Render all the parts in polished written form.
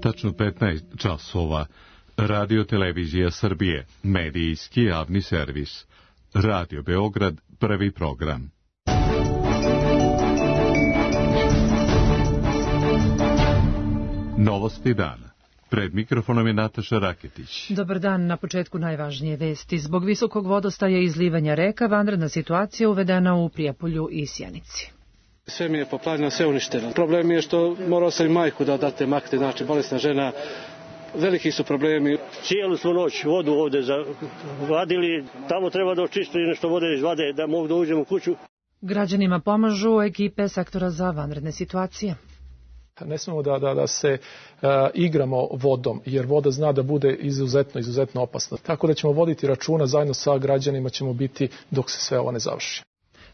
Tačno 15 časova. Radio Televizija Srbije, medijski javni servis. Radio Beograd, prvi program. Novosti dana. Pred mikrofonom je Nataša Raketić. Dobar dan, na početku najvažnije vesti. Zbog visokog vodostaja i izlivanja reka, vanredna situacija uvedena u Prijepolju i Sjenici. Sve mi je poplavljeno, sve uništeno. Problem je što morao sam i majku da date makne, znači bolesna žena. Veliki su problemi. Cijelu smo noć vodu ovde vadili, tamo treba da očistili nešto vode iz vade da mogu da uđemo u kuću. Građanima pomažu ekipe sektora za vanredne situacije. Ne smemo da se igramo vodom, jer voda zna da bude izuzetno opasna. Tako da ćemo voditi računa, zajedno sa građanima ćemo biti dok se sve ovo ne završi.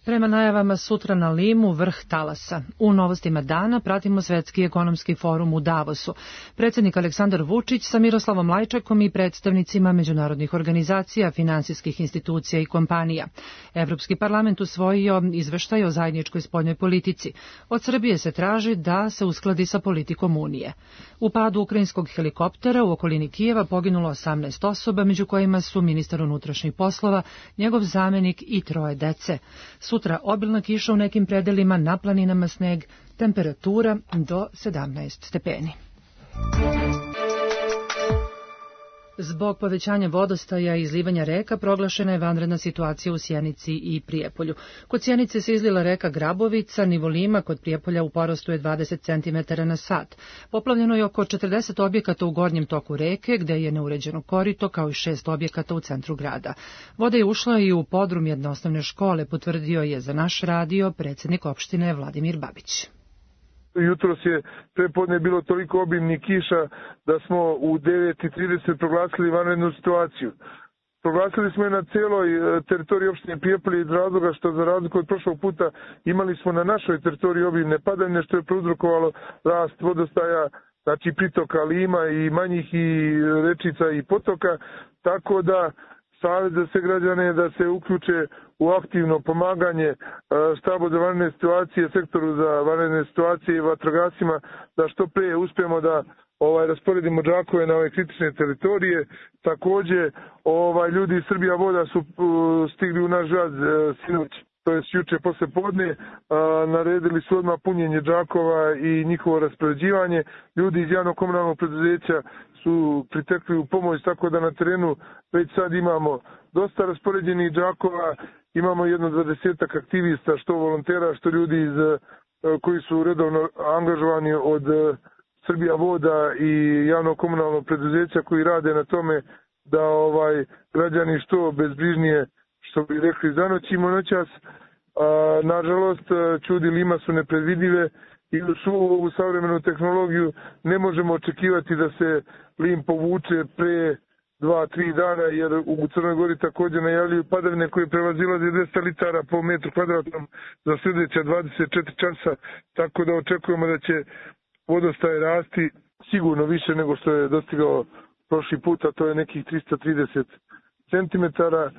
Prema najavama sutra na Limu vrh talasa. U novostima dana pratimo Svetski ekonomski forum u Davosu. Predsjednik Aleksandar Vučić sa Miroslavom Lajčakom i predstavnicima međunarodnih organizacija, finansijskih institucija i kompanija. Evropski parlament usvojio izveštaj o zajedničkoj spoljnoj politici. Od Srbije se traži da se uskladi sa politikom Unije. U padu ukrajinskog helikoptera u okolini Kijeva poginulo 18 osoba, među kojima su ministar unutrašnjih poslova, njegov zamenik i 3 dece. Sutra obilna kiša u nekim predelima, na planinama sneg, temperatura do 17 stepeni. Zbog povećanja vodostaja i izlivanja reka proglašena je vanredna situacija u Sjenici i Prijepolju. Kod Sjenice se izlila reka Grabovica, nivo Lima kod Prijepolja u porastu je 20 cm na sat. Poplavljeno je oko 40 objekata u gornjem toku reke, gde je neuređeno korito, kao i 6 objekata u centru grada. Voda je ušla i u podrum jedne osnovne škole, potvrdio je za naš radio predsjednik opštine Vladimir Babić. Jutros je prepodne bilo toliko obimnih kiša da smo u 9:30 proglasili vanrednu situaciju. Proglasili smo je na celoj teritoriji opštine Prijepolje iz razloga što za razliku od prošlog puta imali smo na našoj teritoriji obimne padavine što je prouzrokovalo rast vodostaja, znači pritoka Lima i manjih i rečica i potoka, tako da savjet za sve građane da se uključe u aktivno pomaganje štabu za vanredne situacije, sektoru za vanredne situacije i vatrogascima, da što pre uspijemo da rasporedimo džakove na ove kritične teritorije. Takođe, ljudi iz Srbija voda su stigli u naš grad sinoć, to je juče posle podne, naredili su odmah punjenje džakova i njihovo raspoređivanje. Ljudi iz javnog komunalnog preduzeća su pritekli u pomoć, tako da na terenu već sad imamo dosta raspoređenih džakova, imamo jedno 20 aktivista, što volontera, što ljudi koji su redovno angažovani od Srbija voda i javnog komunalnog preduzeća koji rade na tome da građani što bezbrižnije, što bi rekli, zanoćimo noćas. Nažalost, čudi Lima su nepredvidive i u svu ovu savremenu tehnologiju ne možemo očekivati da se Lim povuče pre 2-3 dana, jer u Crnoj Gori također najavljuju padavine koje prevazilaze 200 litara po metru kvadratnom za sljedeća 24 časa, tako da očekujemo da će vodostaj rasti sigurno više nego što je dostigao prošli put, a to je nekih 330 centimetara.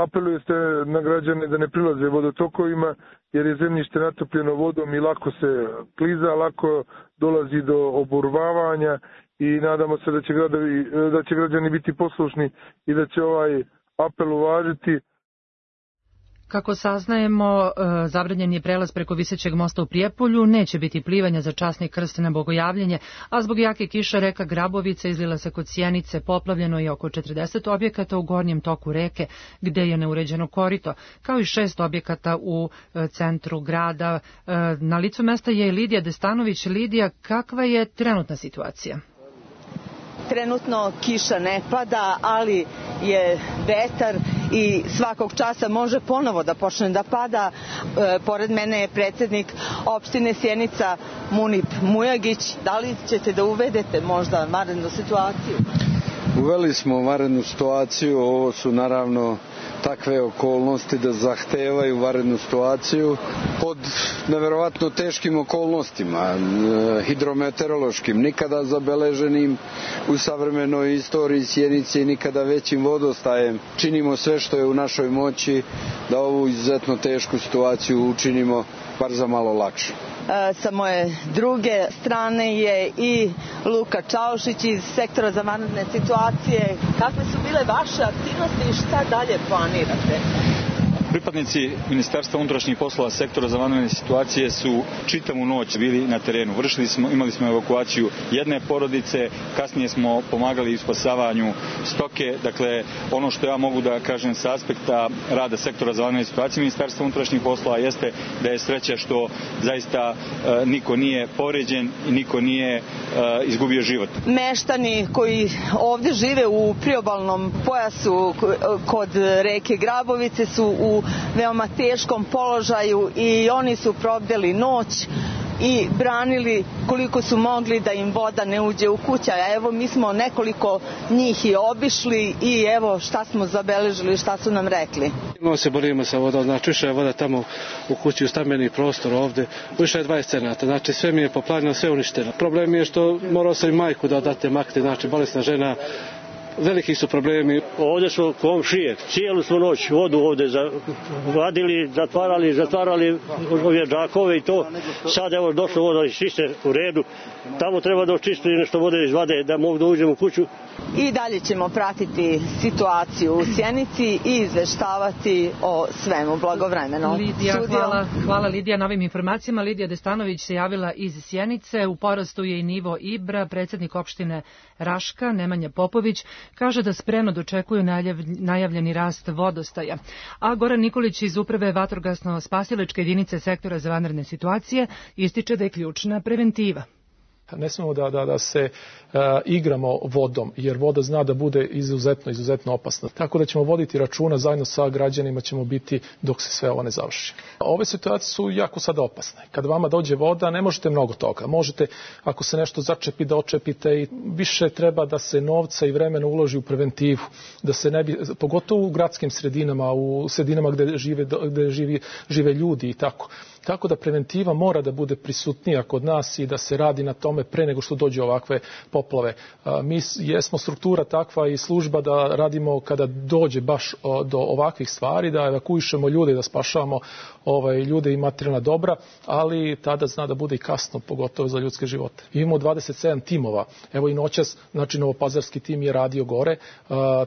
Apeluje se na građane da ne prilaze vodotokovima, jer je zemljište natopljeno vodom i lako se kliza, lako dolazi do oborvavanja i nadamo se da će građani biti poslušni i da će ovaj apel uvažiti. Kako saznajemo, zabranjen je prelaz preko visećeg mosta u Prijepolju, neće biti plivanja za časni krst na Bogojavljenje, a zbog jake kiše reka Grabovica izlila se kod Sjenice, poplavljeno je oko 40 objekata u gornjem toku reke, gde je neuređeno korito, kao i 6 objekata u centru grada. Na licu mesta je Lidija Destanović. Lidija, kakva je trenutna situacija? Trenutno kiša ne pada, ali je vetar i svakog časa može ponovo da počne da pada. Pored mene je predsjednik opštine Sjenica Munip Mujagić. Da li ćete da uvedete možda vanrednu situaciju? Uveli smo vanrednu situaciju, ovo su naravno takve okolnosti da zahtevaju vanrednu situaciju pod neverovatno teškim okolnostima, hidrometeorološkim, nikada zabeleženim u savremenoj istoriji Sjenice i nikada većim vodostajem. Činimo sve što je u našoj moći da ovu izuzetno tešku situaciju učinimo bar za malo lakše. Sa moje druge strane je i Luka Čaušić iz sektora za vanredne situacije. Kakve su bile vaše aktivnosti i šta dalje planirate? Pripadnici Ministarstva unutrašnjih poslova sektora za vanredne situacije su čitavu noć bili na terenu. Imali smo evakuaciju jedne porodice, kasnije smo pomagali u spasavanju stoke. Dakle, ono što ja mogu da kažem sa aspekta rada sektora za vanredne situacije Ministarstva unutrašnjih poslova jeste da je sreća što zaista niko nije povređen i niko nije izgubio život. Meštani koji ovde žive u priobalnom pojasu kod reke Grabovice su u veoma teškom položaju i oni su probdeli noć i branili koliko su mogli da im voda ne uđe u kuća. Evo, mi smo nekoliko njih i obišli i evo šta smo zabeležili, šta su nam rekli. Mi se borimo sa vodom, znači više je voda tamo u kući, u stambeni prostor ovde, više je 20 cenata, znači sve mi je poplavljeno, sve uništeno. Problem je što morao sam i majku da odate makne, znači bolesna žena, veliki su problemi. Ovde su komšije, cijelu smo noć vodu ovde vadili, zatvarali ove džakove i to. Sad evo došlo voda iz čiste u redu. Tamo treba da očisti nešto vode iz vade da mogu da uđem u kuću. I dalje ćemo pratiti situaciju u Sjenici i izveštavati o svemu blagovremeno. Lidija, hvala Lidija na ovim informacijama. Lidija Destanović se javila iz Sjenice. U porastu je i nivo Ibra. Predsjednik opštine Raška, Nemanja Popović, kaže da spremno dočekuju najavljeni rast vodostaja. A Goran Nikolić iz Uprave vatrogasno-spasilačke jedinice sektora za vanredne situacije ističe da je ključna preventiva. Ne smemo da se igramo vodom, jer voda zna da bude izuzetno opasna. Tako da ćemo voditi računa, zajedno sa građanima ćemo biti dok se sve ovo ne završi. Ove situacije su jako sada opasne. Kada vama dođe voda, ne možete mnogo toga. Možete, ako se nešto začepi, da očepite i više treba da se novca i vremena uloži u preventivu. Da se ne bi, pogotovo u gradskim sredinama, u sredinama gde žive ljudi i tako. Tako da preventiva mora da bude prisutnija kod nas i da se radi na tome pre nego što dođe ovakve poplave. Mi jesmo struktura takva i služba da radimo kada dođe baš do ovakvih stvari, da evakuišemo ljude, da spašavamo ljude i materijalna dobra, ali tada zna da bude i kasno, pogotovo za ljudske živote. Imamo 27 timova. Evo i noćas, znači novopazarski tim je radio gore.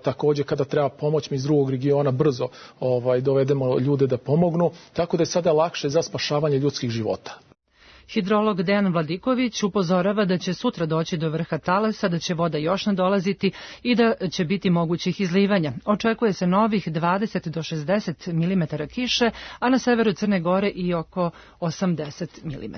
Takođe kada treba pomoć, mi iz drugog regiona brzo dovedemo ljude da pomognu. Tako da je sada lakše za spašavanje ljudskih života. Hidrolog Dejan Vladiković upozorava da će sutra doći do vrha talasa, da će voda još nadolaziti i da će biti mogućih izlivanja. Očekuje se novih 20 do 60 mm kiše, a na severu Crne Gore i oko 80 mm.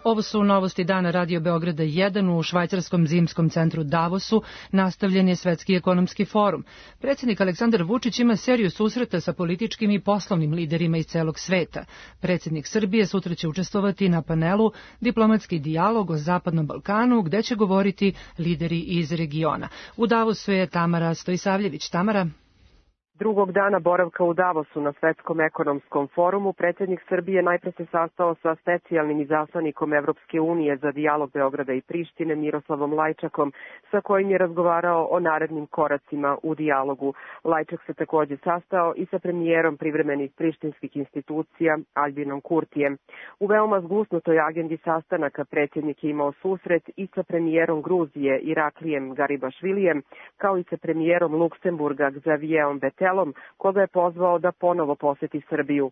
Ovo su novosti dana Radio Beograda 1 u švajcarskom zimskom centru Davosu. Nastavljen je Svetski ekonomski forum. Predsjednik Aleksandar Vučić ima seriju susreta sa političkim i poslovnim liderima iz celog sveta. Predsjednik Srbije sutra će učestvovati na panelu Diplomatski dijalog o Zapadnom Balkanu, gde će govoriti lideri iz regiona. U Davosu je Tamara Stojsavljević. Tamara. Drugog dana boravka u Davosu na Svetskom ekonomskom forumu, predsjednik Srbije najpre se sastao sa specijalnim izaslanikom Evropske unije za dijalog Beograda i Prištine Miroslavom Lajčakom, sa kojim je razgovarao o narednim koracima u dijalogu. Lajčak se također sastao i sa premijerom privremenih prištinskih institucija Albinom Kurtijem. U veoma zgusnutoj agendi sastanaka predsjednik je imao susret i sa premijerom Gruzije Iraklijem Garibašvilijem, kao i sa premijerom Luksemburga Xavierom Betelom, koga je pozvao da ponovo poseti Srbiju.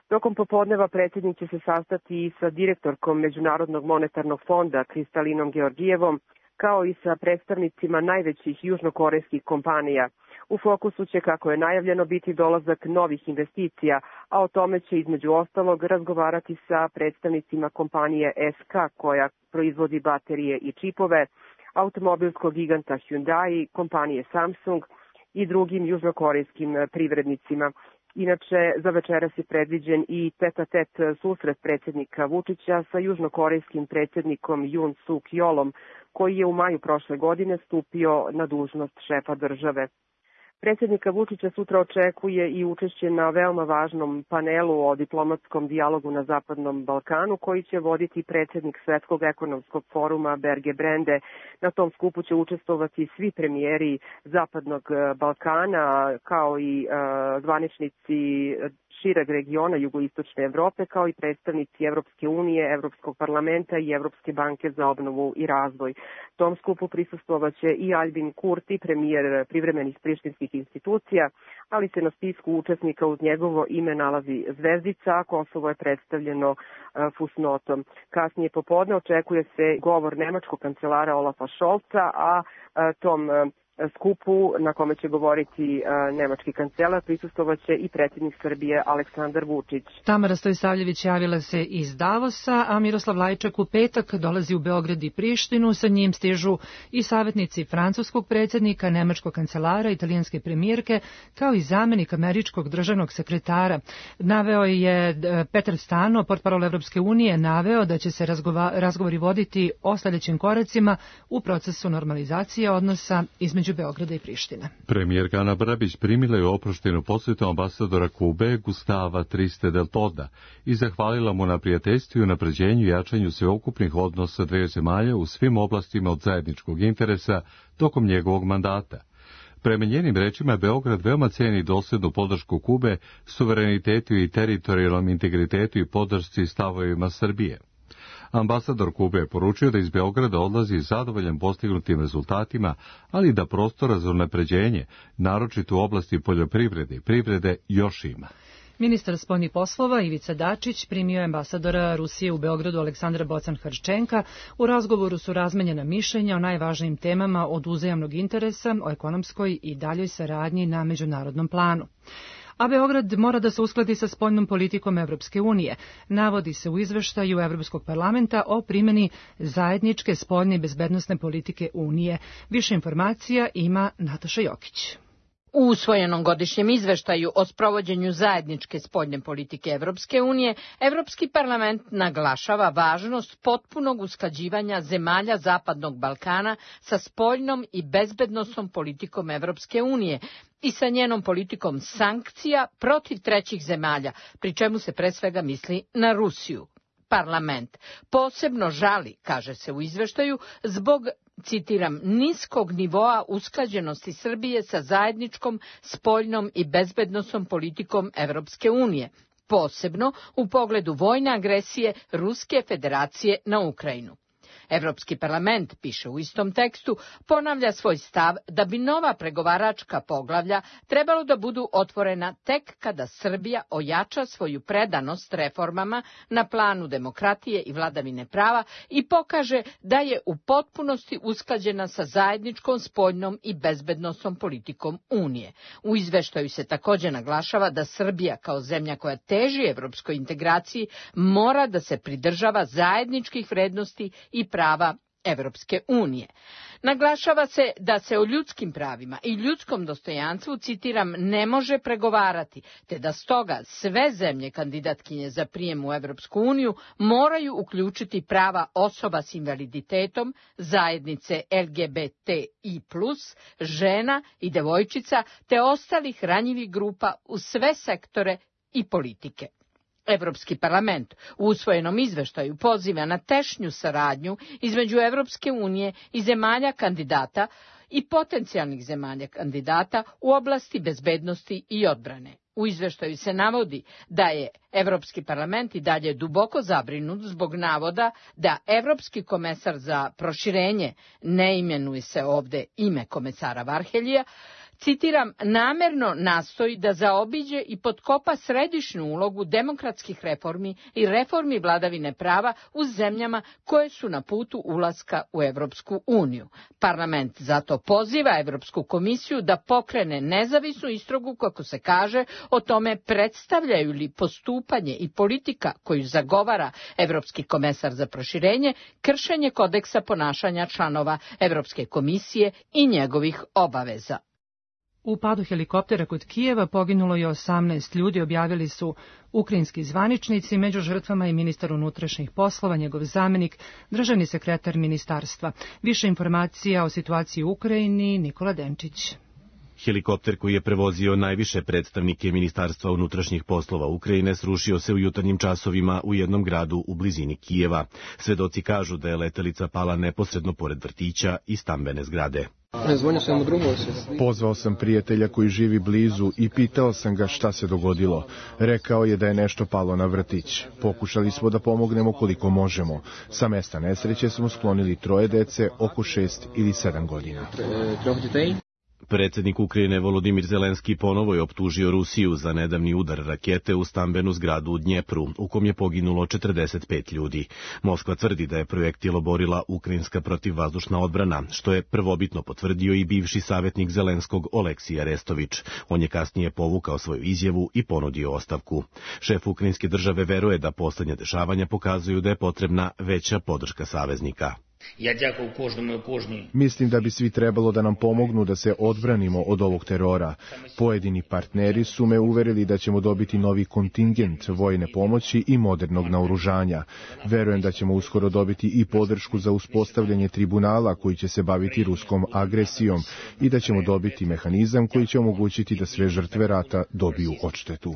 Tokom popodneva predsjednik će se sastati i sa direktorkom Međunarodnog monetarnog fonda Kristalinom Georgijevom, kao i sa predstavnicima najvećih južnokorejskih kompanija. U fokusu će, kako je najavljeno, biti dolazak novih investicija, a o tome će između ostalog razgovarati sa predstavnicima kompanije SK, koja proizvodi baterije i čipove, automobilskog giganta Hyundai, kompanije Samsung i drugim južnokorejskim privrednicima. Inače, za večeras je predviđen i tet-a-tet susret predsjednika Vučića sa južnokorejskim predsjednikom Jun Suk Yolom, koji je u maju prošle godine stupio na dužnost šefa države. Predsjednika Vučića sutra očekuje i učešće na veoma važnom panelu o diplomatskom dijalogu na Zapadnom Balkanu, koji će voditi predsjednik Svetskog ekonomskog foruma Berge Brende. Na tom skupu će učestvovati svi premijeri Zapadnog Balkana, kao i zvaničnici šireg regiona jugoistočne Evrope, kao i predstavnici Evropske unije, Evropskog parlamenta i Evropske banke za obnovu i razvoj. Tom skupu prisustvovaće i Albin Kurti, premijer privremenih prištinskih institucija, ali se na spisku učesnika uz njegovo ime nalazi zvezdica, a Kosovo je predstavljeno fusnotom. Kasnije popodne očekuje se govor nemačkog kancelara Olafa Scholza, a tom skupu na kome će govoriti nemački kancelar prisustvovaće i predsjednik Srbije Aleksandar Vučić. Tamara Stojsavljević javila se iz Davosa, a Miroslav Lajčak u petak dolazi u Beograd i Prištinu. Sa njim stižu i savjetnici francuskog predsjednika, nemačkog kancelara, italijanske premijerke, kao i zamenik američkog državnog sekretara. Naveo je Petar Stano, portparol Evropske unije, naveo da će se razgovori voditi o sljedećim koracima u procesu normalizacije odnosa između Beograda i Prištine. Premijerka Ana Brnabić primila je oproštenu posjetu ambasadora Kube Gustava Triste del Toda i zahvalila mu na prijateljstvu i unapređenju i jačanju sveukupnih odnosa dveju zemalja u svim oblastima od zajedničkog interesa tokom njegovog mandata. Prema njenim rečima, Beograd veoma ceni dosljednu podršku Kube, suverenitetu i teritorijalnom integritetu i podršci stavovima Srbije. Ambasador Kube je poručio da iz Beograda odlazi zadovoljan postignutim rezultatima, ali da prostora za unapređenje, naročito u oblasti poljoprivrede i privrede, još ima. Ministar spoljnih poslova Ivica Dačić primio je ambasadora Rusije u Beogradu Aleksandra Bocan-Hrčenka. U razgovoru su razmenjena mišljenja o najvažnijim temama od uzajamnog interesa, o ekonomskoj i daljoj saradnji na međunarodnom planu. A Beograd mora da se uskladi sa spoljnom politikom Evropske unije. Navodi se u izveštaju Evropskog parlamenta o primjeni zajedničke spoljne i bezbednosne politike Unije. Više informacija ima Nataša Jokić. U usvojenom godišnjem izveštaju o sprovođenju zajedničke spoljne politike Evropske unije, Evropski parlament naglašava važnost potpunog usklađivanja zemalja Zapadnog Balkana sa spoljnom i bezbednosnom politikom Evropske unije i sa njenom politikom sankcija protiv trećih zemalja, pri čemu se pre svega misli na Rusiju. Parlament posebno žali, kaže se u izveštaju, zbog, citiram, niskog nivoa usklađenosti Srbije sa zajedničkom spoljnom i bezbednosnom politikom Evropske unije, posebno u pogledu vojne agresije Ruske federacije na Ukrajinu. Evropski parlament, piše u istom tekstu, ponavlja svoj stav da bi nova pregovaračka poglavlja trebalo da budu otvorena tek kada Srbija ojača svoju predanost reformama na planu demokratije i vladavine prava i pokaže da je u potpunosti usklađena sa zajedničkom spoljnom i bezbednosnom politikom Unije. U izveštaju se također naglašava da Srbija kao zemlja koja teži evropskoj integraciji mora da se pridržava zajedničkih vrednosti i prava Evropske unije. Naglašava se da se o ljudskim pravima i ljudskom dostojanstvu, citiram, ne može pregovarati, te da stoga sve zemlje kandidatkinje za prijem u Evropsku uniju moraju uključiti prava osoba s invaliditetom, zajednice LGBTI+, žena i devojčica, te ostalih ranjivih grupa u sve sektore i politike. Evropski parlament u usvojenom izveštaju poziva na tešnju saradnju između Evropske unije i zemalja kandidata i potencijalnih zemalja kandidata u oblasti bezbednosti i odbrane. U izveštaju se navodi da je Evropski parlament i dalje duboko zabrinut zbog navoda da Evropski komesar za proširenje, ne imenuje se ovde ime komesara Varheljija, citiram, namerno nastoji da zaobiđe i potkopa središnju ulogu demokratskih reformi i reformi vladavine prava u zemljama koje su na putu ulaska u Evropsku uniju. Parlament zato poziva Evropsku komisiju da pokrene nezavisnu istragu, kako se kaže, o tome predstavljaju li postupanje i politika koju zagovara Evropski komesar za proširenje kršenje kodeksa ponašanja članova Evropske komisije i njegovih obaveza. U padu helikoptera kod Kijeva poginulo je 18 ljudi, objavili su ukrajinski zvaničnici, među žrtvama i ministar unutrašnjih poslova, njegov zamenik, državni sekretar ministarstva. Više informacija o situaciji u Ukrajini, Nikola Denčić. Helikopter koji je prevozio najviše predstavnike Ministarstva unutrašnjih poslova Ukrajine srušio se u jutarnjim časovima u jednom gradu u blizini Kijeva. Svedoci kažu da je letelica pala neposredno pored vrtića i stambene zgrade. Pozvao sam prijatelja koji živi blizu i pitao sam ga šta se dogodilo. Rekao je da je nešto palo na vrtić. Pokušali smo da pomognemo koliko možemo. Sa mesta nesreće smo sklonili 3 dece oko 6 ili 7 godina. Predsjednik Ukrajine Volodimir Zelenski ponovo je optužio Rusiju za nedavni udar rakete u stambenu zgradu u Dnjepru, u kom je poginulo 45 ljudi. Moskva tvrdi da je projektil oborila ukrajinska protivvazdušna odbrana, što je prvobitno potvrdio i bivši savjetnik Zelenskog Oleksij Arestović. On je kasnije povukao svoju izjavu i ponudio ostavku. Šef ukrajinske države veruje da poslednja dešavanja pokazuju da je potrebna veća podrška saveznika. Mislim da bi svi trebalo da nam pomognu da se odbranimo od ovog terora. Pojedini partneri su me uverili da ćemo dobiti novi kontingent vojne pomoći i modernog naoružanja. Verujem da ćemo uskoro dobiti i podršku za uspostavljanje tribunala koji će se baviti ruskom agresijom i da ćemo dobiti mehanizam koji će omogućiti da sve žrtve rata dobiju odštetu.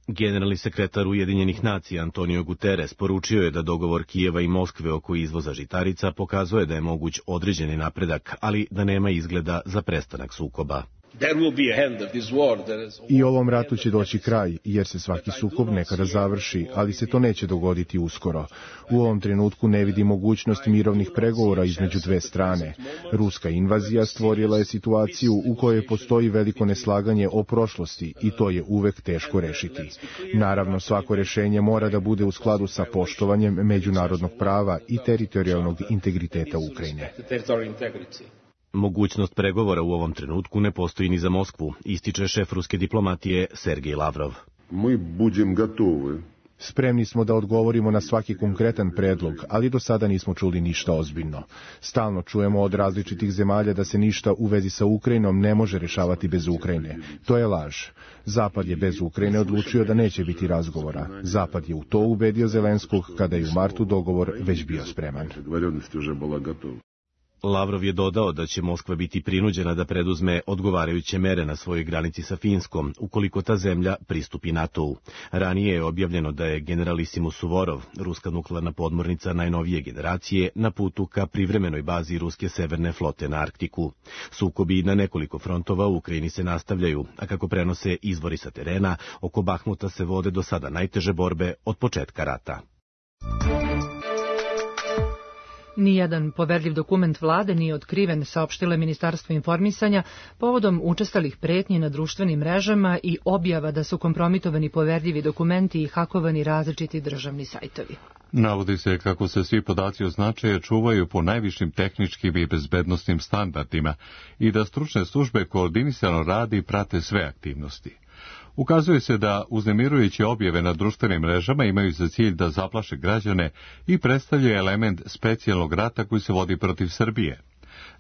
Generalni sekretar Ujedinjenih nacija Antonio Guterres poručio je da dogovor Kijeva i Moskve oko izvoza žitarica pokazuje da je moguć određeni napredak, ali da nema izgleda za prestanak sukoba. I ovom ratu će doći kraj, jer se svaki sukob nekada završi, ali se to neće dogoditi uskoro. U ovom trenutku ne vidi mogućnost mirovnih pregovora između dve strane. Ruska invazija stvorila je situaciju u kojoj postoji veliko neslaganje o prošlosti i to je uvek teško rešiti. Naravno, svako rešenje mora da bude u skladu sa poštovanjem međunarodnog prava i teritorijalnog integriteta Ukrajine. Mogućnost pregovora u ovom trenutku ne postoji ni za Moskvu, ističe šef ruske diplomatije Sergej Lavrov. Spremni smo da odgovorimo na svaki konkretan predlog, ali do sada nismo čuli ništa ozbiljno. Stalno čujemo od različitih zemalja da se ništa u vezi sa Ukrajinom ne može rešavati bez Ukrajine. To je laž. Zapad je bez Ukrajine odlučio da neće biti razgovora. Zapad je u to ubedio Zelenskog kada je u martu dogovor već bio spreman. Lavrov je dodao da će Moskva biti prinuđena da preduzme odgovarajuće mere na svojoj granici sa Finskom, ukoliko ta zemlja pristupi NATO-u. Ranije je objavljeno da je generalisimus Suvorov, ruska nuklearna podmornica najnovije generacije, na putu ka privremenoj bazi ruske severne flote na Arktiku. Sukobi na nekoliko frontova u Ukrajini se nastavljaju, a kako prenose izvori sa terena, oko Bahmuta se vode do sada najteže borbe od početka rata. Nijedan poverljiv dokument vlade nije otkriven, saopštilo Ministarstvo informisanja povodom učestalih pretnji na društvenim mrežama i objava da su kompromitovani poverljivi dokumenti i hakovani različiti državni sajtovi. Navodi se kako se svi podaci o značaju čuvaju po najvišim tehničkim i bezbednosnim standardima i da stručne službe koordinisano rade i prate sve aktivnosti. Ukazuje se da uznemirujuće objave na društvenim mrežama imaju za cilj da zaplaše građane i predstavljaju element specijalnog rata koji se vodi protiv Srbije.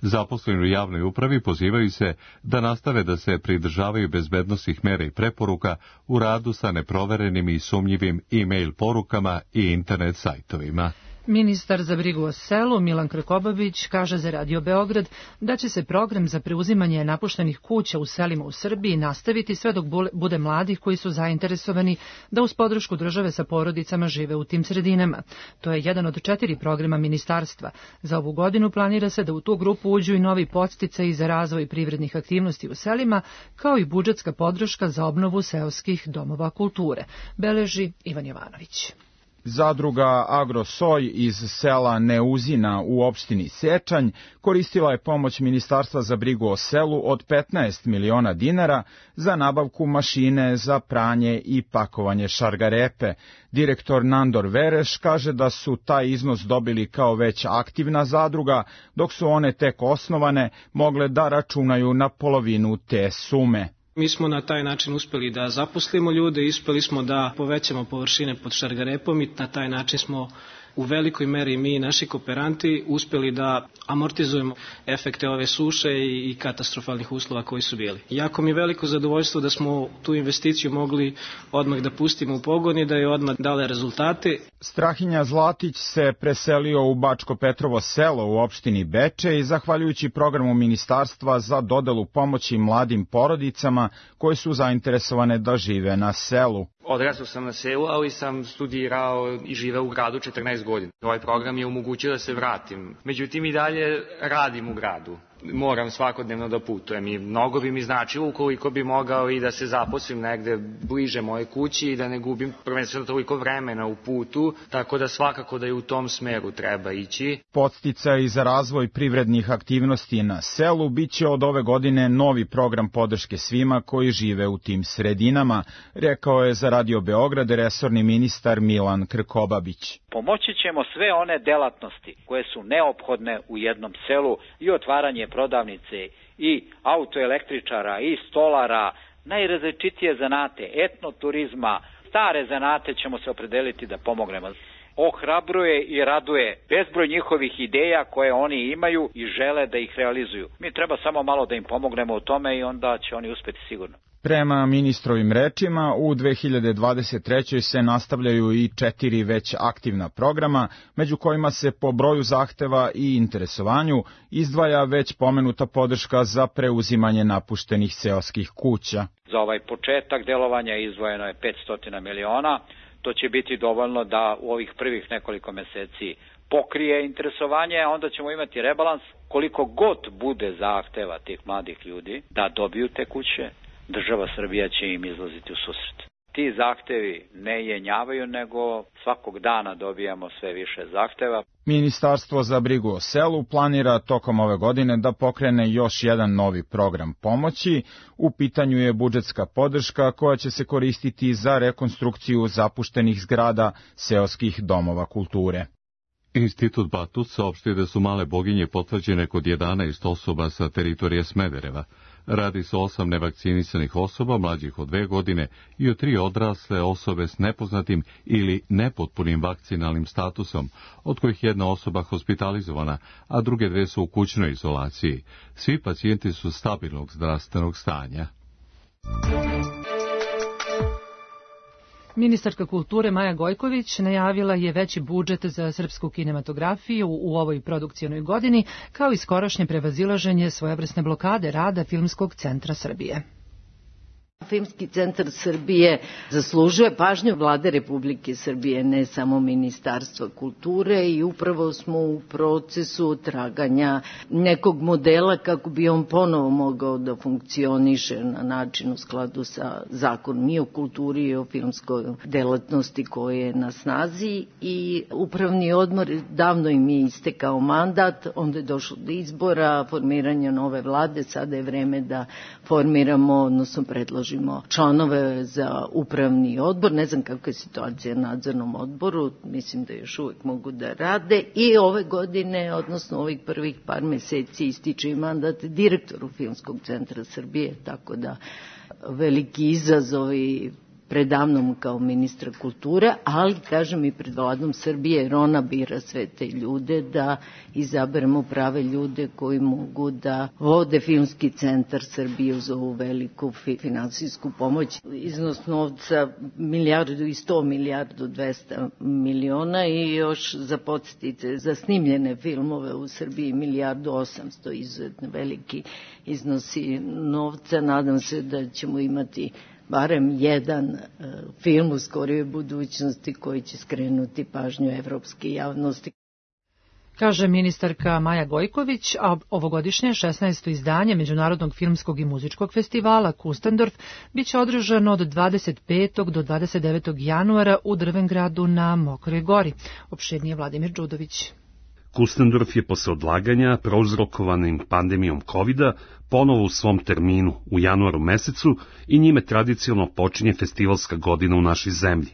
Zaposleni u javnoj upravi pozivaju se da nastave da se pridržavaju bezbednosnih mera i preporuka u radu sa neproverenim i sumnjivim e-mail porukama i internet sajtovima. Ministar za brigu o selu Milan Krkobabić kaže za Radio Beograd da će se program za preuzimanje napuštenih kuća u selima u Srbiji nastaviti sve dok bude mladih koji su zainteresovani da uz podršku države sa porodicama žive u tim sredinama. To je jedan od 4 programa ministarstva. Za ovu godinu planira se da u tu grupu uđu i novi podsticaji za razvoj privrednih aktivnosti u selima, kao i budžetska podrška za obnovu seoskih domova kulture, beleži Ivan Jovanović. Zadruga Agrosoj iz sela Neuzina u opštini Sečanj koristila je pomoć Ministarstva za brigu o selu od 15 miliona dinara za nabavku mašine za pranje i pakovanje šargarepe. Direktor Nandor Vereš kaže da su taj iznos dobili kao već aktivna zadruga, dok su one tek osnovane mogle da računaju na polovinu te sume. Mi smo na taj način uspeli da zaposlimo ljude, uspeli smo da povećamo površine pod šargarepom i na taj način smo u velikoj meri mi i naši kooperanti uspeli da amortizujemo efekte ove suše i katastrofalnih uslova koji su bili. Jako mi je veliko zadovoljstvo da smo tu investiciju mogli odmah da pustimo u pogon i da je odmah dale rezultate. Strahinja Zlatić se preselio u Bačko Petrovo selo u opštini Beče i zahvaljujući programu Ministarstva za dodelu pomoći mladim porodicama koje su zainteresovane da žive na selu. Odrastao sam na selu, ali sam studirao i živeo u gradu 14 godina. Ovaj program je omogućio da se vratim. Međutim, i dalje radim u gradu. Moram svakodnevno da putujem i mnogo bi mi značilo ukoliko bi mogao i da se zaposlim negde bliže moje kući i da ne gubim prvenstveno toliko vremena u putu, tako da svakako da i u tom smeru treba ići. Podsticaj za razvoj privrednih aktivnosti na selu biće od ove godine novi program podrške svima koji žive u tim sredinama, rekao je za Radio Beograd resorni ministar Milan Krkobabić. Pomoći ćemo sve one delatnosti koje su neophodne u jednom selu i otvaranje prodavnice i autoelektričara i stolara, najrazličitije zanate, etnoturizma, stare zanate ćemo se opredeliti da pomognemo. Ohrabruje i raduje bezbroj njihovih ideja koje oni imaju i žele da ih realizuju. Mi treba samo malo da im pomognemo u tome i onda će oni uspeti sigurno. Prema ministrovim rečima, u 2023. se nastavljaju i 4 već aktivna programa, među kojima se po broju zahteva i interesovanju izdvaja već pomenuta podrška za preuzimanje napuštenih seoskih kuća. Za ovaj početak delovanja izdvojeno je 500 miliona. To će biti dovoljno da u ovih prvih nekoliko meseci pokrije interesovanje, a onda ćemo imati rebalans. Koliko god bude zahteva tih mladih ljudi da dobiju te kuće, država Srbija će im izlaziti u susret. Ti zahtevi ne jenjavaju, nego svakog dana dobijamo sve više zahteva. Ministarstvo za brigu o selu planira tokom ove godine da pokrene još jedan novi program pomoći. U pitanju je budžetska podrška koja će se koristiti za rekonstrukciju zapuštenih zgrada seoskih domova kulture. Institut Batut saopštio da su male boginje potvrđene kod 11 osoba sa teritorije Smedereva. Radi se o 8 nevakcinisanih osoba mlađih od 2 godine i o 3 odrasle osobe s nepoznatim ili nepotpunim vakcinalnim statusom, od kojih jedna osoba hospitalizovana, a druge 2 su u kućnoj izolaciji. Svi pacijenti su stabilnog zdravstvenog stanja. Ministarka kulture Maja Gojković najavila je veći budžet za srpsku kinematografiju u ovoj produkcionoj godini, kao i skorašnje prevazilaženje svojevrsne blokade rada Filmskog centra Srbije. Filmski centar Srbije zaslužuje pažnju Vlade Republike Srbije, ne samo Ministarstva kulture, i upravo smo u procesu traganja nekog modela kako bi on ponovo mogao da funkcioniše na način u skladu sa zakonom i o kulturi i o filmskoj delatnosti koje je na snazi. I upravni odbor, davno im je istekao mandat, onda je došlo do izbora, formiranja nove vlade, sada je vreme da formiramo, odnosno predložimo članove za upravni odbor. Ne znam kakva je situacija na nadzornom odboru, mislim da još uvijek mogu da rade, i ove godine, odnosno ovih prvih par meseci, ističe i mandat direktoru Filmskog centra Srbije, tako da veliki izazovi predamnom kao ministra kulture, ali kažem i pred Vladom Srbije, jer ona bira sve te ljude, da izaberemo prave ljude koji mogu da vode Filmski centar Srbije uz ovu veliku finansijsku pomoć. Iznos novca milijardu 200 miliona i još za podsjetite za snimljene filmove u Srbiji 1.800.000, izuzetno veliki iznosi novca. Nadam se da ćemo imati barem jedan film u skorijoj budućnosti koji će skrenuti pažnju evropske javnosti. Kaže ministarka Maja Gojković, a ovogodišnje 16. izdanje Međunarodnog filmskog i muzičkog festivala Kustendorf biće održano od 25. do 29. januara u Drvengradu na Mokroj gori. Opširnije Vladimir Đudović. Kustendorf je posle odlaganja prouzrokovanim pandemijom COVID-a ponovo u svom terminu u januaru mesecu i njime tradicionalno počinje festivalska godina u našoj zemlji.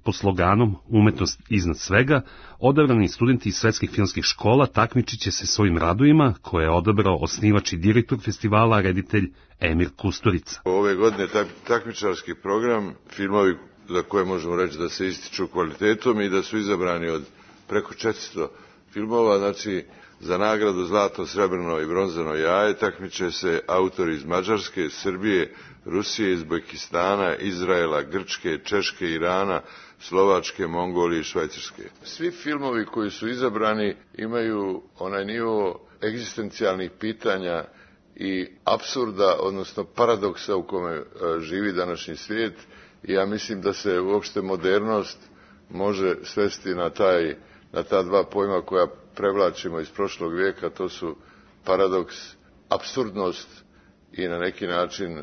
Pod sloganom Umetnost iznad svega, odabrani studenti iz svetskih filmskih škola takmičit će se svojim radovima koje je odabrao osnivač i direktor festivala, reditelj Emir Kusturica. Ove godine takmičarski program, filmovi za koje možemo reći da se ističu kvalitetom i da su izabrani od preko 400 filmova, znači za nagradu zlato, srebrno i bronzano jaje takmiče se autori iz Mađarske, Srbije, Rusije, Uzbekistana, Izraela, Grčke, Češke, Irana, Slovačke, Mongolije i Švajcarske. Svi filmovi koji su izabrani imaju onaj nivo egzistencijalnih pitanja i apsurda, odnosno paradoksa u kome živi današnji svijet, i ja mislim da se uopšte modernost može svesti na ta dva pojma koja prevlačimo iz prošlog vijeka, to su paradoks, apsurdnost i na neki način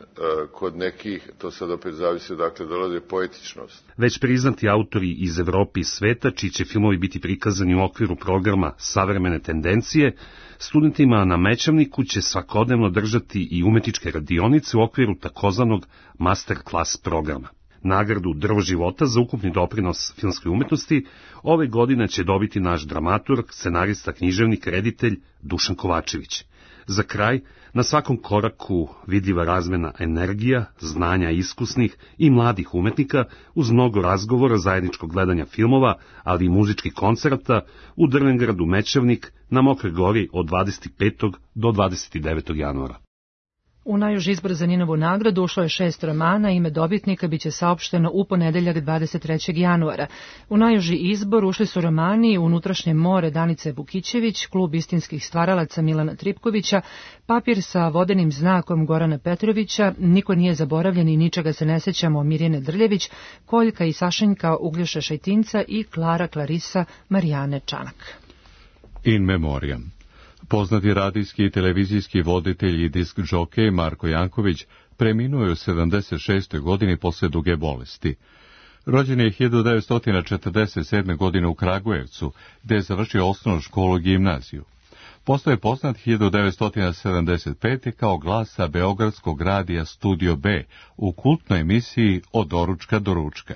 kod nekih, to sad opet zavisi odakle dolaze, poetičnost. Već priznati autori iz Evrope i sveta, čiji će filmovi biti prikazani u okviru programa Savremene tendencije, studentima na Mećavniku će svakodnevno držati i umetničke radionice u okviru takozvanog masterclass programa. Nagradu Drvo života za ukupni doprinos filmskoj umetnosti ove godine će dobiti naš dramaturg, scenarista, književnik, reditelj Dušan Kovačević. Za kraj, na svakom koraku vidljiva razmena energija, znanja iskusnih i mladih umetnika uz mnogo razgovora, zajedničkog gledanja filmova, ali i muzičkih koncerata u Drvengradu Mećavnik na Mokroj gori od 25. do 29. januara. U najuži izbor za Ninovu nagradu ušlo je 6 romana, ime dobitnika biće saopšteno u ponedeljak 23. januara. U najuži izbor ušli su romani Unutrašnje more Danice Vukićević, Klub istinskih stvaralaca Milana Tripkovića, Papir sa vodenim znakom Gorana Petrovića, Niko nije zaboravljen i ničega se ne sećamo Mirjane Drljević, Koljka i Sašenjka Uglješa Šajtinca i Klara Klarisa Marijane Čanak. In memoriam. Poznati radijski i televizijski voditelj i disk džokej Marko Janković preminuo je u 76. godini posle duge bolesti. Rođen je 1947. godine u Kragujevcu, gde je završio osnovnu školu i gimnaziju. Postao je poznat 1975. kao glas sa beogradskog radija Studio B u kultnoj emisiji Od doručka do ručka.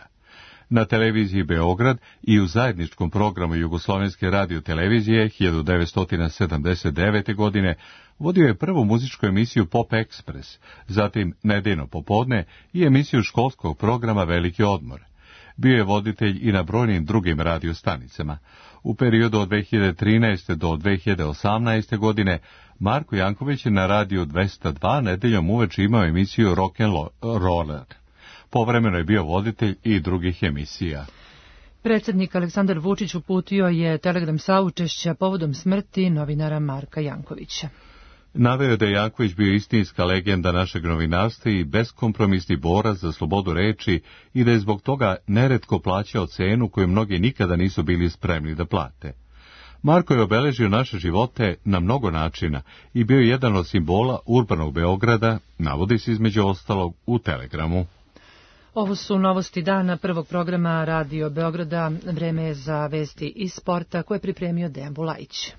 Na televiziji Beograd i u zajedničkom programu Jugoslovenske radiotelevizije 1979. godine vodio je prvu muzičku emisiju Pop Express, zatim Nedeljno popodne i emisiju školskog programa Veliki odmor. Bio je voditelj i na brojnim drugim radiostanicama. U periodu od 2013. do 2018. godine Marko Janković je na radiju 202 nedeljom uveče imao emisiju Rock and Roller. Povremeno je bio voditelj i drugih emisija. Predsjednik Aleksandar Vučić uputio je telegram saučešća povodom smrti novinara Marka Jankovića. Naveo je da je Janković bio istinska legenda našeg novinarstva i beskompromisni borac za slobodu reči i da je zbog toga neretko plaćao cenu koju mnogi nikada nisu bili spremni da plate. Marko je obeležio naše živote na mnogo načina i bio je jedan od simbola urbanog Beograda, navodi se između ostalog u telegramu. Ovo su novosti dana prvog programa Radio Beograda. Vreme je za vesti iz sporta koje je pripremio Dejan Bulajić.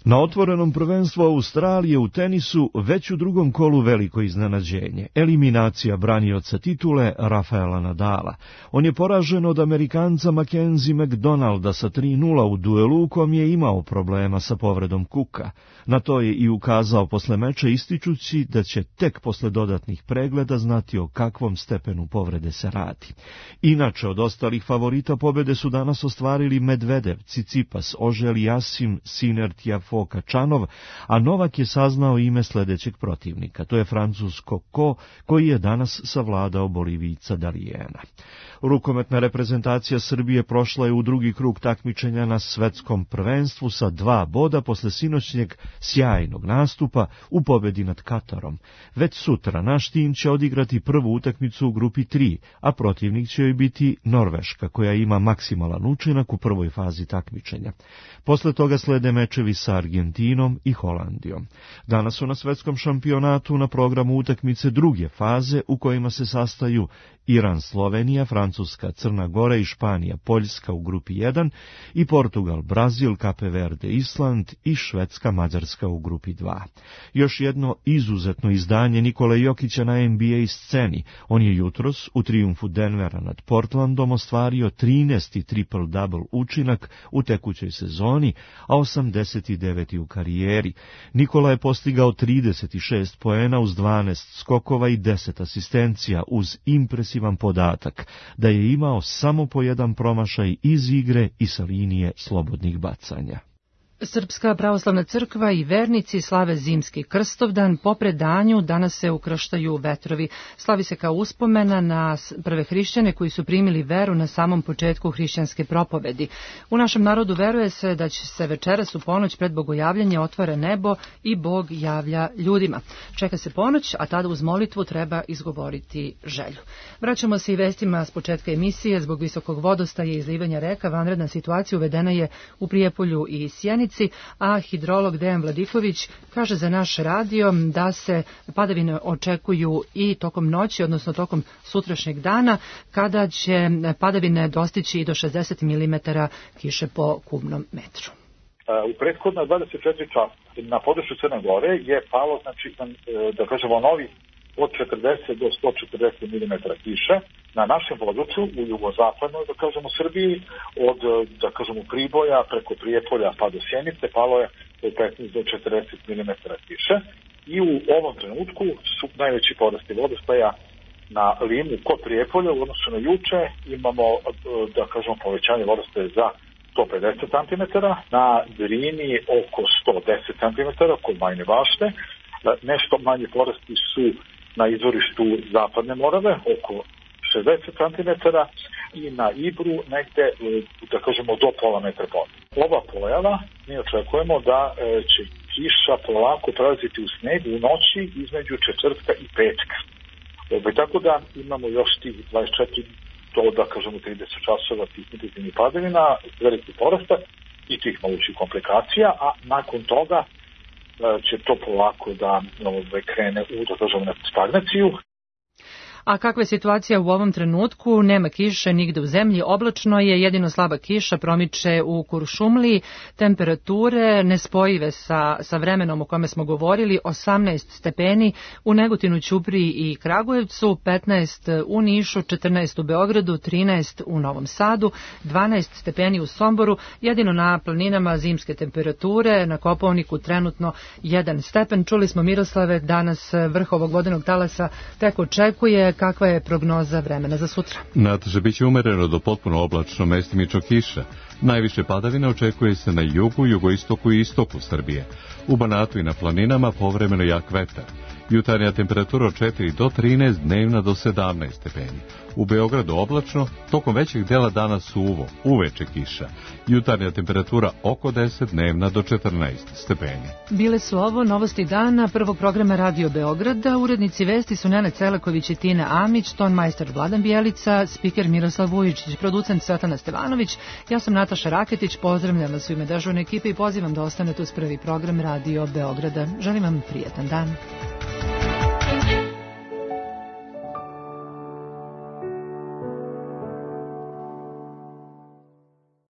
Na otvorenom prvenstvu Australije u tenisu već u drugom kolu veliko iznenađenje. Eliminacija branioca titule Rafaela Nadala. On je poražen od Amerikanca Mackenzie McDonalda sa 3:0 u duelu u kom je imao problema sa povredom kuka. Na to je i ukazao posle meča ističući da će tek posle dodatnih pregleda znati o kakvom stepenu povrede se radi. Inače, od ostalih favorita pobede su danas ostvarili Medvedev, Cicipas, Ožel Jasim, Sinner Tiafoe Kačanov, a Novak je saznao ime sledećeg protivnika. To je Francuz Coco, koji je danas savladao Bolivijca Dalijena. Rukometna reprezentacija Srbije prošla je u drugi krug takmičenja na svetskom prvenstvu sa 2 boda posle sinoćnjeg sjajnog nastupa u pobedi nad Katarom. Već sutra naš tim će odigrati prvu utakmicu u grupi 3, a protivnik će joj biti Norveška, koja ima maksimalan učinak u prvoj fazi takmičenja. Posle toga slede mečevi sa Argentinom i Holandijom. Danas su na svetskom šampionatu na programu utakmice druge faze u kojima se sastaju Iran, Slovenija, Francuska, Crna Gora i Španija, Poljska u grupi 1 i Portugal, Brazil, Cape Verde, Island i Švedska, Mađarska u grupi 2. Još jedno izuzetno izdanje Nikole Jokića na NBA sceni. On je jutros u trijumfu Denvera nad Portlandom ostvario 13. triple-double učinak u tekućoj sezoni, a 89. u karijeri. Nikola je postigao 36 poena uz 12 skokova i 10 asistencija uz impresivan podatak da je imao samo po jedan promašaj iz igre i sa linije slobodnih bacanja. Srpska pravoslavna crkva i vernici slave zimski Krstovdan. Po predanju danas se ukrštaju vetrovi. Slavi se kao uspomena na prve hrišćane koji su primili veru na samom početku hrišćanske propovedi. U našem narodu veruje se da će se večeras u ponoć pred bogojavljanje otvara nebo i Bog javlja ljudima. Čeka se ponoć, a tada uz molitvu treba izgovoriti želju. Vraćamo se i vestima s početka emisije. Zbog visokog vodostaja i izlivanja reka vanredna situacija uvedena je u Prijepolju i Sjenici, a hidrolog Dejan Vladiković kaže za naš radio da se padavine očekuju i tokom noći, odnosno tokom sutrašnjeg dana, kada će padavine dostići i do 60 mm kiše po kubnom metru. U prethodna 24 časa na području Crne Gore je palo, znači, da kažemo, novi od 40 do 140 mm kiše. Na našem području, u jugozapadnoj, da kažemo, Srbiji, od, da kažemo, Priboja preko Prijepolja pa do Sjenice, palo je od 15 do 40 mm kiše. I u ovom trenutku su najveći porasti vodostaja na Limu kod Prijepolja u odnosu na juče. Imamo, da kažemo, povećanje vodostaja za 150 cm, na Drini oko 110 cm kod Bajine Bašte. Nešto manje porasti su na izvorištu Zapadne Morave, oko 60 cm, i na Ibru negde, da kažemo, do pola metra vode. Ova pojava mi očekujemo da će kiša polako prelaziti u sneg u noći između četvrtka i petka. Tako da imamo još tih 24 do, da kažemo, 30 časova tih intenzivnih padavina, veliki porasta i tih mogućih komplikacija, a nakon toga će to polako da krene u, da kažemo, stagnaciju. A kakva je situacija u ovom trenutku? Nema kiše nigde u zemlji, oblačno je, jedino slaba kiša promiče u Kuršumliji, temperature nespojive sa vremenom o kome smo govorili, 18 stepeni u Negotinu, Ćupriji i Kragujevcu, 15 u Nišu, 14 u Beogradu, 13 u Novom Sadu, 12 stepeni u Somboru, jedino na planinama zimske temperature, na Kopaoniku trenutno 1 stepen. Čuli smo, Miroslave, danas vrh ovog vodenog talasa tek očekuje. Kakva je prognoza vremena za sutra? Nataša, bit će umereno do potpuno oblačno, mestimično kiša. Najviše padavina očekuje se na jugu, jugoistoku i istoku Srbije. U Banatu i na planinama povremeno jak vetar. Jutarnja temperatura od 4 do 13, dnevna do 17 stepeni. U Beogradu oblačno, tokom većeg dela dana suvo, uveče kiša. Jutarnja temperatura oko 10, dnevna do 14 stepeni. Bile su ovo novosti dana prvog programa Radio Beograda. Urednici vesti su Nena Celaković i Tina Amić, tonmajster Vladan Bijelica, spiker Miroslav Vujičić, producent Svetlana Stevanović. Ja sam Nataša Raketić, pozdravljam vas u ime dežurne ekipe i pozivam da ostanete uz prvi program Radio Beograda. Želim vam prijetan dan.